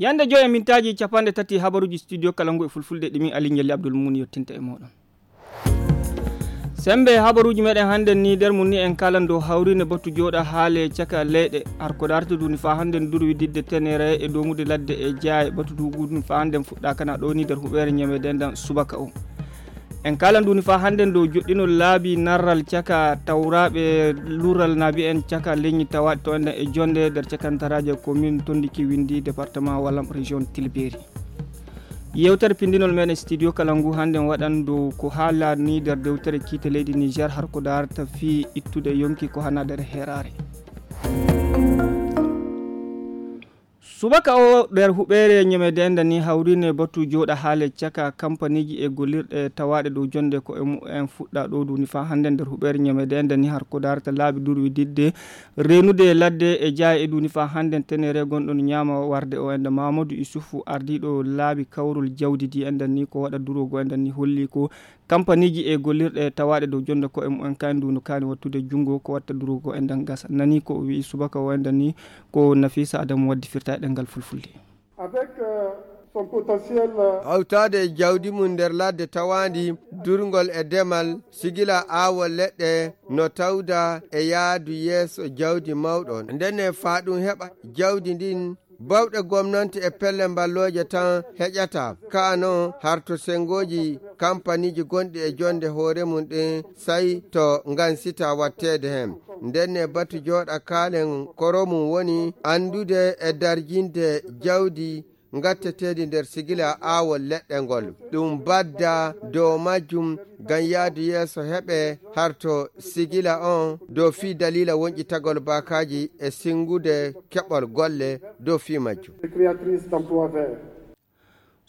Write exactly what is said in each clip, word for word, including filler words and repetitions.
Yande joyi e mintaaji capanɗe tati habaruuji studio kala ngu e fulfulde ɗi min Ali Njalli Abdul Mumin yottinta e mooɗon. Sembe habaruuji meɗen hannde ni nder mum ni en kalan dow hawrine batu jooɗa haale caka leyɗe. Har ko darta duni fa hannde durwi didde tenere e domude ladde e jaaye batu dugu duni fa hannde fuɗɗa kana ɗo ni nder huɓeere ñamede ndan subaka o. En kalan duni fa hannde dow joɗɗinol laabi narral caka tawraɓe lural nabi en caka leñi tawaɗe to enden e jonde nder cakantaraaji e commune tondiki windi département wallam région tilberi. Yewtere pindinol meɗen studio kala ngu hannde waɗan dow ko haalani nder dewtere kiite leydi Niger har ko darata fii ittude yonki ko hana nder heraare. Subaka o nder huɓeere ñamede enda ni hawrine batu jooɗa haale caka kampaniji e gollirɗe tawaaɗe dow jonde ko e mumen fuɗɗa ɗo duni fa hannde nder huɓeere ñamede enda ni har ko darata laabi durwi didde renude ladde e jaaye e duni fa hannde tenere gonɗon ñaama warde o enda Mamadou Issoufou ardiɗo laabi kawrol jawdi di enda ni ko waɗa durogo enda ni holli ko kampaniji e gollirɗe tawaaɗe dow jonde ko e mumen kan ndu no kaani wattude junngo ko watta durogo enda gasa nani ko o wi'i subaka o enda ni ko Nafisa Adamu waddi firta e ɗengal fulfulde. Avec euh, son potentiel euh, hawtaade e jawdi mum nder ladde tawaandi durngol e demal sigila aawol leɗɗe no tawda e yaadu yeeso jawdi mawɗo ndenne faa ɗum heɓa jawdi ndin bawɗe gomnante e pelle mballooje tan heƴata kaano harto senngooji kampaniiji gonɗi e jonnde hoore mum ɗin say to ngansita watteede heen ndenne batu jooɗa kaalen koro mum woni anndude e darjinde jawdi ngatteteeɗi nder sigila aawol leɗɗe ngol ɗum badda dow majjum ngam yahdu yeeso heɓe harto sigila on dow fii daliila wonƴitagol baakaaji e sinngude keɓol golle dow fii majjum.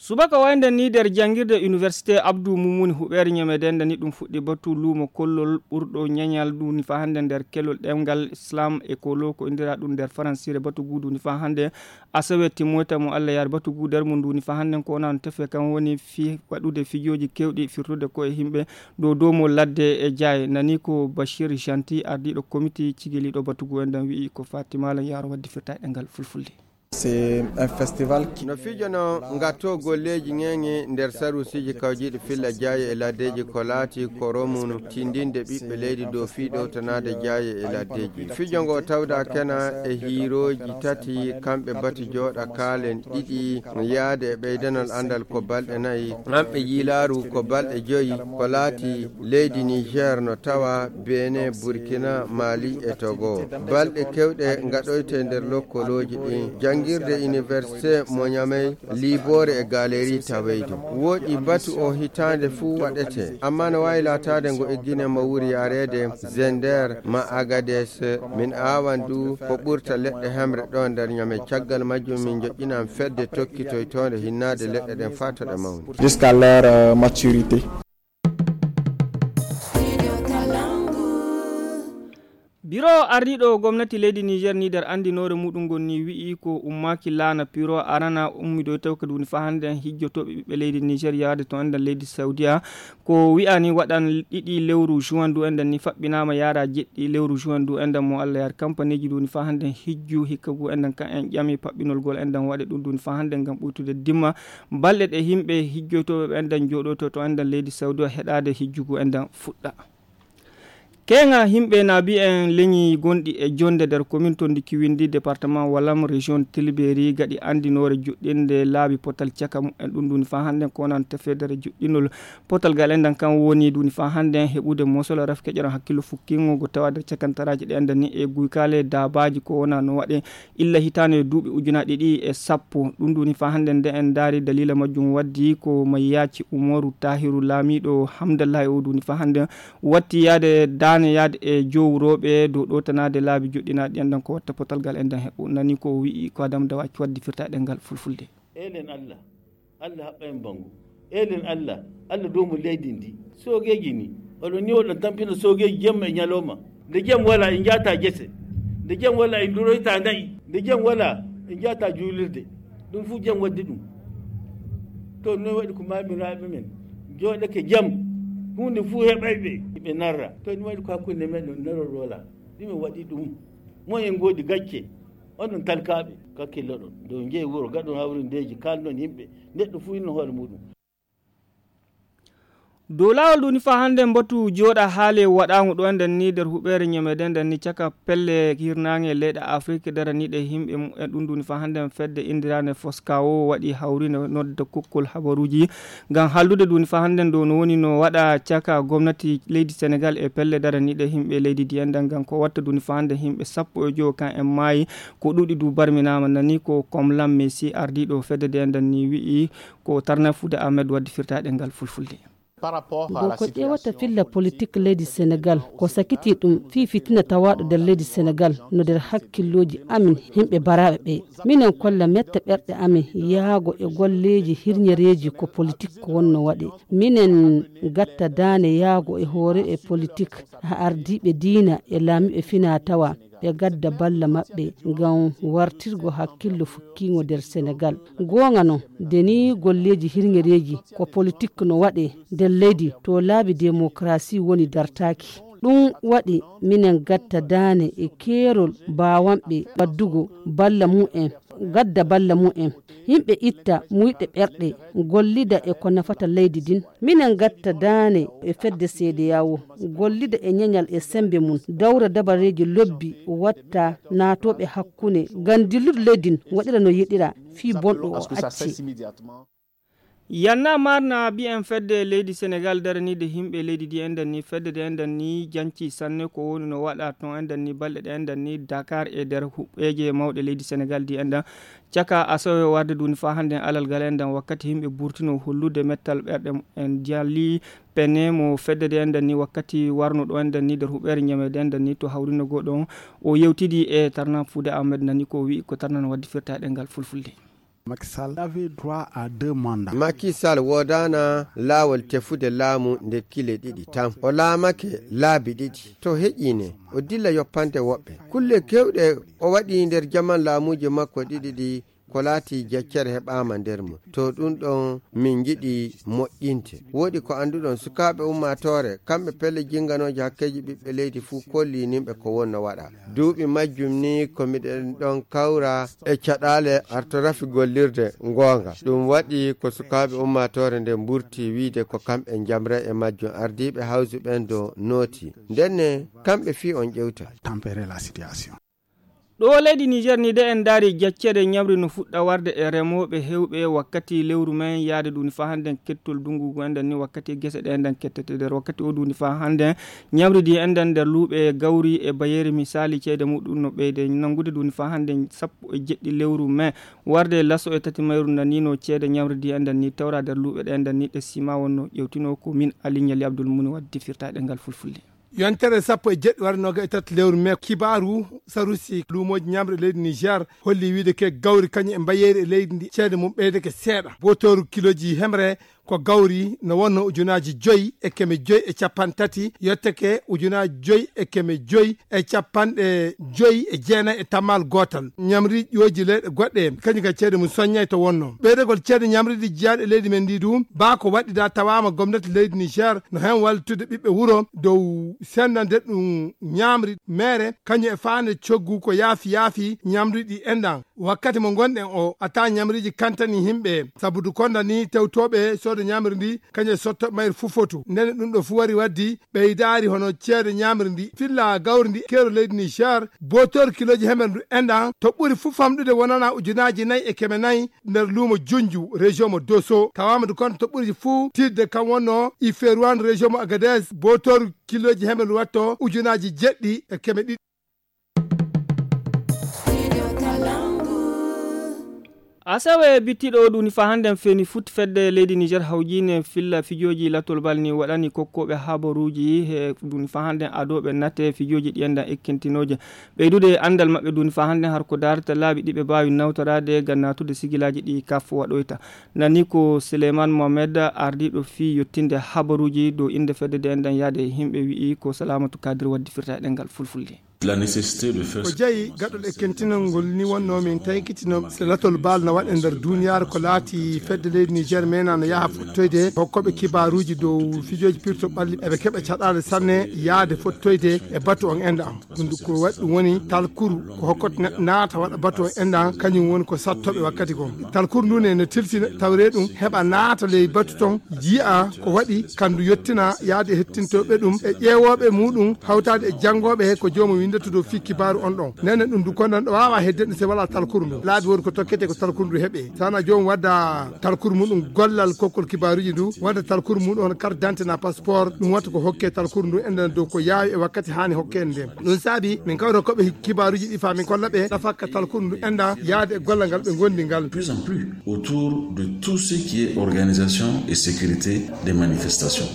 Subaka wayde ni nder janngirde université Abdou Moumouni huɓeere ñamedende ni ɗum fuɗɗi batu luumo kollol ɓurɗo ñañal ɗum ni fa hannde nder kelol ɗemngal Islam e kolo ko indira ɗum nder faransire batu gudu ni fa hannde asawe timmoyta mo Allah yaari batu gu nder mum ndu ni fa hannde ko wonano tefe kan woni fi waɗude fijooji kewɗi firtude ko e yimɓe dow dow mo ladde e jaaye nani ko Bachir Janti ardiiɗo komiti cigiliiɗo batu gu en ɗan wi'i ko Fatima Lan Yaro waddi firta e ɗemngal fulfulde. C'est un festival qui no fijono ngatto golleeji ŋeŋe nder sarusiiji kawjiiɗi filla jaaye e laddeeji ko laati ko romunu tindinde ɓiɓɓe leydi dow fii ɗowtanaade jaaye e laddeeji. Fijo ngo tawda kena e hiirooji tati kamɓe batu jooɗa kaalen ɗiɗi yaade e ɓeydanol anndal ko balɗe nayi, kamɓe yiilaaru ko balɗe joyi, ko laati leydi Niger no tawa Benin, Burkina, Mali e Togo. Balɗe kewɗe ngaɗoyte nder lokkolooji ɗin. Janngirde université mo Niamey, liiboore e galerie taweyde. Woɗi batu o hitaande fuu waɗete, amma no waawi laataade ngo e Gine mo wuri yaareede Zender ma Agades. Min aawan du ko ɓurta leɗɗe hemre ɗo nder Niamey. Caggal majjum min joƴƴinan fedde tokkitoytoonde hinnaade leɗɗe ɗen faa to ɗe mawni. Jusqu'à leur euh, maturité. Biro ardiiɗo gomnati leydi Niger ni nder anndinoore muɗum ngon ni wi'i ko ummaaki laana piro arana ummidoytaw ka duni fa hannde hijjotooɓe ɓiɓɓe leydi Niger yaade to enden leydi Saudiya ko wi'ani waɗan ɗiɗi lewru juin du enden ni faɓɓinaama yaara jeɗɗi lewru juin du enden mo Allah yaari kampaniji duni fa hannde hijju hikka gu enden kan en ƴami paɓɓinol gol enden waɗe ɗum duni fa hannde ngam ɓuytude dimma balɗe ɗe yimɓe hijjoytooɓe ɓe enden jooɗoyto to enden leydi Saudiya heɗaade hijju gu enden fuɗɗa. Keŋa yimɓe naabi en leñi gonɗi e jonde nder commune to Ndiki Windi, département Walam, région Tilberi, gaɗi anndinoore juɗɗinde laabi potal caka mumen. Ɗum ɗum fa hannde ko wonano tefedere juɗɗinol potal gal enɗan kan woni ɗum fa hannde heɓude mosol ref keƴoron hakkillo fukkingo go tawa nder cakantaraaji ɗe enɗan ni e guykaale daabaaji ko wonano waɗe illa hitaande e duuɓi ujunaaji ɗiɗi e sappo. Ɗum ɗum fa hannde nde en ndaari daliila majjum waddi ko Mayyaaci Umaru Tahiru laamiiɗo Hamdallahi o ɗum fa hannde watti yaade daane yaade e jowrooɓe dow ɗowtanaade laabi joɗɗinaaɗi enɗan ko watta potal gal enɗan heɓu nani ko o wi'i ko Adam Dawaki waddi firta e ɗemngal fulfulde. Eelen Allah, Allah haɓɓa en banngo. Eelen Allah, Allah doomo leydi ndi. Soogeeji ni, oɗon ni oɗon tampina soogeeji jemma e ñalooma. Nde jam wala en njaata gese. Nde jam wala en duroyta na'i. Nde jam wala en njaata juulirde. Ɗum fuu jam waddi ɗum. To noon waɗi ko maamiraaɓe men njooɗake jam. Huunde fuu heɓay ɓe, ɓe narra. To ɗum waɗi ko hakkunde men ɗum narol wala. Ɗum en waɗi ɗum. Mo en ngoodi gacce. Onon talkaaɓe, kakkilloɗon dow njeyi wuro, gaɗon hawrindeeji, kaalnon yimɓe, neɗɗo fuu inno hoore muuɗum. Dow laawol ɗum ni faa hannde mbotu jooɗa haale waɗaango ɗo enden ni nder huɓeere ñamede nden ni caka pelle hirnaange leyɗe Afrik daraniiɗe yimɓe mumen ɗum ɗum ni faa hannde fedde inndiraande Foskawo waɗi hawri no nodda kokkol habaruuji ngam haaldude ɗum ni faa hannde ɗo no woni no waɗa caka gomnati leydi Senegal e pelle daraniiɗe yimɓe leydi ndi enden ngam ko watta ɗum ni faa hannde yimɓe sappo e jowo kan en maayi ko ɗuuɗi du barminaama nani ko Komlam Messi ardiiɗo fedde nde enden ni wi'i ko tarnafuude Ahmed waddi firtaaɗe ngal fulfulde. Bon, ko ƴeewata filla politik leydi Senegal, ko sakiti ɗum fii fitina tawaaɗo nder leydi Senegal no nder hakkillooji amin yimɓe baraaɓe ɓe. Minen kolla mette ɓerɗe amin yaago e golleeji hirñereeji ko politik ko wonno waɗe. Minen gatta daane yaago e hoore e politik, haa ardiiɓe diina e laamiiɓe finaa tawa ɓe gadda balla maɓɓe ngam wartirgo hakkillo fukkiingo nder Senegal. Goonga non, de nii golleeji hirŋereeji ko politik no waɗee nder leydi to laabi demokarasi woni dartaaki. Ɗum waɗi minen gatta daane e keerol baawanɓe waddugo balla mumen, gadda balla mumen. Yimɓe itta muyɗe ɓerɗe, gollida e ko nafata leydi ndin. Minen gatta daane e fedde seedeyawo, gollida e ñeñal e semmbe mum, dawra dabareeji lobbi watta naatooɓe hakkunde ngam dillude leydi ndin waɗira no yiɗira fii bonɗo o acci. Yanna marna bi'en fedde leydi Senegal daraniide yimɓe leydi ndi enden ni fedde nde enden ni janci sanne ko woni no waɗa ton enden ni balɗe ɗe enden ni Dakar e nder huɓɓeeje mawɗe leydi Senegal ndi enden caka asawe warde duni faa hannde en alal gal enden wakkati yimɓe burtino hollude mettal ɓerɗe en jali pene mo fedde nde enden ni wakkati warno ɗo enden ni nder huɓɓeere ñamede enden ni to hawrino goɗo o yewtidi e tarnan fuude Ahmed nani ko wi'i ko tarnan waddi firta e ɗengal fulfulde. Macky Sall woodaana laawol tefude laamu nde kile ɗiɗi tan. O laamake laabi ɗiɗi. To heƴii ne, o dilla yoppande woɓɓe. Kulle keewɗe o waɗi nder jaman laamuuji makko ɗiɗi ɗi ko laati jeccere heɓaama nder mum. To ɗum ɗon min njiɗi moƴƴinte. Woodi ko annduɗon sukaaɓe ummaatoore, kamɓe pelle jinnganooje hakkeeji ɓiɓɓe leydi fuu kolliininɓe ko wonno waɗa. Duuɓi majjum ni ko miɗen ɗon kawra e caɗaale artorafi gollirde ngoonga. Ɗum waɗi ko sukaaɓe ummaatoore nde mburti wiyde ko kamɓe njamra e majjum ardiiɓe hawsu ɓen do nooti. Ndenne kamɓe fii on ƴewta. Ɗo leydi Niger ni de en ndaari jacceede ñamri no fuɗɗa warde e remooɓe heewɓe wakkati lewru men yaade ɗum faa hannden kettol dunngu ngu enɗen ni wakkati gese ɗe enɗen kettete nder wakkati o ɗum faa hannden ñamri ndi enɗen nder luuɓe gawri e bayeeri misaali ceede muɗum no ɓeyde nanngude ɗum faa hannden sappo e jeɗɗi lewru men warde laso e tati mayru nani no ceede ñamri ndi enɗen ni tawra nder luuɓe ɗe enɗen ni ɗe sima wonno ƴewtino ko min Ali Ñali Abdul Muni waddi firtaɗe ngal fulfulde. Yontere sappo e jeɗɗi wara noga e tati lewru me kibaaru sarusi luumooji ñamre leydi Niger holli wiide ke gawri kañum e mbayeeri e leydi ndi ceede mum ɓeydeke seeɗa botooru kiloji hemre ko gawri no wonno ujunaaji joyi e keme joyi e capanɗe tati yotteke ujunaaji joyi e keme joyi e capanɗe joyi e jeenayi e tammal gootal ñamri ƴooji leyɗe goɗɗe kañum ka ceede mum soññay to wonno ɓeydegol ceede ñamridi jiyaaɗe leydi men ndi du baa ko waɗɗida tawaama gomnati leydi Niger no hen wallutude ɓiɓɓe wuro dow sendande ɗum ñamri mere kañum e faande coggu ko yaafi yaafi ñamriɗi enɗan wakkati mo ngonɗen o ata ñamriiji kantani yimɓe sabudu konda ni tewtoɓe sooda ñamri ndi kañum e sotto mayre fuu fotu ndene ɗum ɗo fuu wari waddi ɓeydaari hono ceede ñamri ndi filla gawri ndi keero leydi Niger botor kiloji hemer ndu enɗan to ɓuri fuu famɗude wonana ujunaji nayi e keme nayi nder luumo junju région mo doso tawama du konta to ɓuri fuu tidde kam wonno iferuan région mo agades botor kiloji hemer ndu watto ujunaji jeɗɗi e keme ɗiɗi. Asawe bittiɗo ɗum fa hannden feni fut fedde leydi Niger hawjine filla fijooji lattol bal ni waɗani kokkoɓe habaruuji he ɗum fa hannden adoɓe natte fijooji ɗi enɗan ekkintinooje ɓeydude anndal maɓɓe ɗum fa hannden har ko darata laabi ɗiɓe mbaawi nawtoraade ngam naatude sigilaaji ɗi kaf waɗoyta nani ko Souleymane Mohamed ardiiɗo fii yottinde habaruuji dow innde fedde nde enɗan yaade yimɓe wi'i ko Salamatu Kadir waddi firta e ɗemngal fulfulde. La nécessité de faire ko jeyi gaɗɗol e kentinol ngol ni wonno min taykitino se latol baal na waɗe nder duniyaaru ko laati fedde leydi Niger mena no yaha fottoyde hokkoɓe kibaaruuji dow fijooji pirto ɓalli eɓe keɓa caɗaale sanne yaade fottoyde e batu on enda am ɗum ko waɗi ɗum woni talkuru ko hokkoto neɗɗo naata waɗa batu on enda am kañum woni ko sattoɓe wakkati goo talkuru ndu ne no tiltina tawre ɗum heɓa naata ley batu ton jiya ko waɗi kandu yettina yaade hettintoɓe ɗum e ƴeewoɓe muɗum hawtaade e jangoɓe he ko joomum windata dow fii kibaaru on ɗon nene ɗum du konnan ɗo wawa hedde ɗum se wala talkuru ndu laabi woni ko tokkete ko talkuru ndu heɓe sana joomum wadda talkuru muɗum gollal kokkol kibaaruji ndu wadda talkuru muɗum on carte d'identité na passeport ɗum watta ko hokke talkuru ndu enden dow ko yaawi e wakkati hani hokkede nde ɗum saabi min kawra koɓe kibaaruji ɗi fa min kolla ɓe nafakka talkuru ndu enda yaade e gollal ngal ɓe gondi ngal plus en plus autour de tout ce qui est organisation et sécurité des manifestations.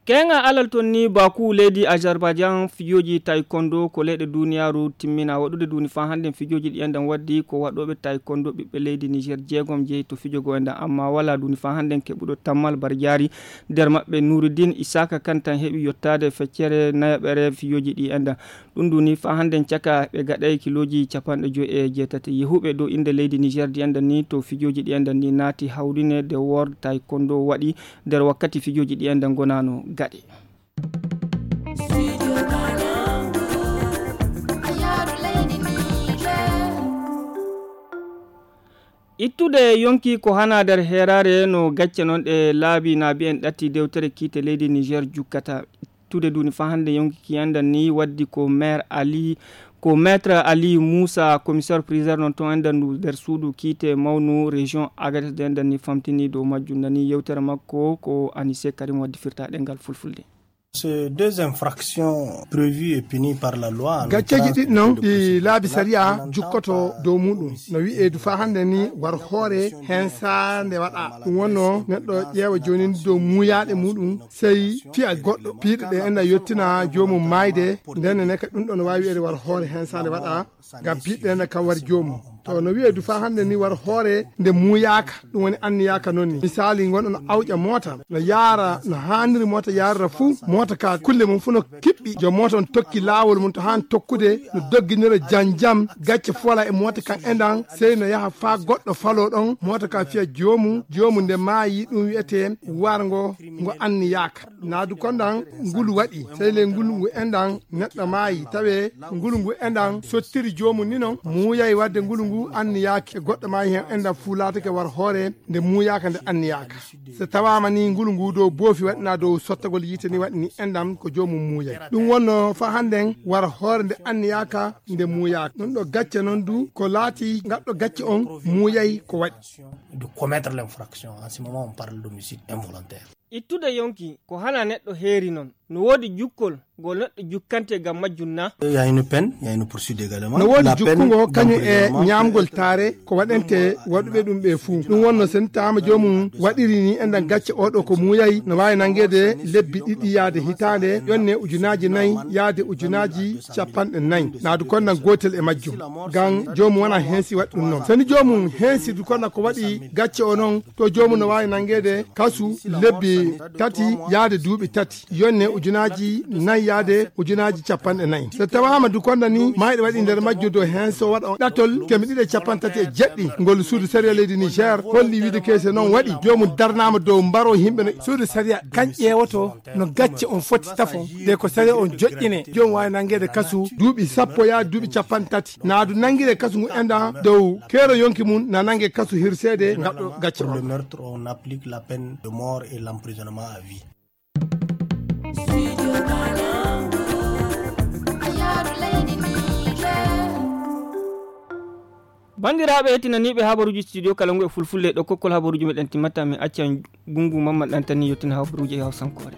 Keŋa alal ton ni baku leydi Azerbaijan fijoji taekwondo ko leyɗe duniyaru timmina waɗude duni fa hannden fijoji ɗi enɗan waddi ko waɗoɓe taekwondo ɓiɓɓe leydi Niger jeegom jeyi to fijogo enɗan amma wala duni fa hannden keɓuɗo tammal barjari nder maɓɓe Nuruddin Isaka kantan heɓi yottade feccere nayaɓere fijoji ɗi enɗan ɗum ɗum ni fa hannden caka ɓe gaɗay kiloji capanɗe joyi e jeetati yehuɓe dow innde leydi Niger ɗi enɗan ni to fijoji ɗi enɗan ni naati hawrine de wor taekwondo waɗi nder wakkati fijoji ɗi enɗan gonano gaɗe. Ittude yonki ko hana nder heeraare no gacce noon ɗe laabi na mbiyen ɗatti dewtere kiite leydi Niger jukkata. Ittude duuni fa hannde yonki ki anndan ni waddi ko maire Ali ko maître Ali Moussa commissaire priseur noon to anndan ndu nder suudu kiite mawnu région Agadez de anndan ni famtini dow majjum nani yewtere makko ko Anise Karim waddi firta ɗengal fulfulde. Ces deux infractions prévues et punies par la loi. Gacceeji ɗiɗi noon ɗi laabi sariya jukkoto dow muɗum no wi'ee du faa hannde ni war hoore heen saande waɗa ɗum wonno neɗɗo ƴeewa jooni dow muuyaaɗe muɗum sey fiya goɗɗo piiɗe ɗe ena yettina joomum maayde nden ne ka ɗum ɗon waawi wi'eede war hoore heen saande waɗa ngam piiɗe ena kam war joomum to no wi'ee du faa hannde ni war hoore nde muuyaaka ɗum woni anniyaaka noon ni misaali ngonɗo no awƴa moota no yaara no haaniri moota yaarira fuu moota ka kulle mum fuu no kiɓɓi joom moota on tokki laawol mum to haan tokkude no dogginira jam jam gacce fola e moota kan endan sey no yaha faa goɗɗo faloo ɗon moota ka fiya joomum joomum nde maayi ɗum wi'etee warngo ngo anniyaaka naadu kondan ngulu waɗi sey le ngulu ngu endan neɗɗo maayi tawe ngulu ngu endan sottiri joomum ni non muuyay wadde ngulu ngu anniyaaki e goɗɗo maayi heen endan fuu laatake war hoore nde muuyaaka nde anniyaaka so tawaama ni ngulu ngu dow boofi waɗina dow sottagol yiite ni waɗi ni endam ko joomum muuyay ɗum wonno faa hannden war hoore nde anniyaaka nde muuyaaka ɗum ɗo gacce noon du ko laati ngaɗɗo gacce on muuyay ko waɗi de commettre l'infraction en ce moment on parle d'homicide involontaire. Ittude yonki ko hana neɗɗo heeri noon no woodi jukkol ngol neɗɗo jukkante ngam majjum na? Il y a une peine, il y a une poursuite également. No woodi jukkungo kañum e ñaamgol taare ko waɗante waɗuɓe ɗum ɓe fuu ɗum wonno sen taama joomum waɗiri ni enɗan gacce oɗo ko muuyay no waawi nanngeede lebbi ɗiɗi yaade hitaande ƴonne ujunaaji nayi yaade ujunaaji capanɗe nayi naadu konnan gootel e majjum ngam joomum wona heensi waɗi ɗum noon seni joomum heensi du konnan ko waɗi gacce o noon to joomum no waawi nanngeede kasu lebbi tati yaade duuɓi tati yonne ujunaaji nayi yaade ujunaaji capanɗe nayi so tawaama du konda ni mayɗo waɗi nder majjum dow heen so waɗa on ɗatol keme ɗiɗi e capanɗe tati e jeɗɗi ngol suudu sariya leydi niger holli wiide keese noon waɗi joomum darnaama dow mbaro yimɓe no suudu sariya kan ƴeewoto no gacce on foti tafo nde ko sariya on joƴƴine joomum waawi nanngeede kasu duuɓi sappo yaade duuɓi capanɗe tati naadu nanngire kasu ngu enɗan dow keero yonki mum na nannge kasu hirseede ngaɗɗo gacce on le meurtre on applique la peine de mort et l'emprisonnement à vie. Banndiraaɓe heɗtinaniiɓe habaruuji studio kala ngu e fulfulde ɗo kokkol habaruuji meɗen timmata min accan gungu mamma ɗantani yettina habaruuji e hawsankoore.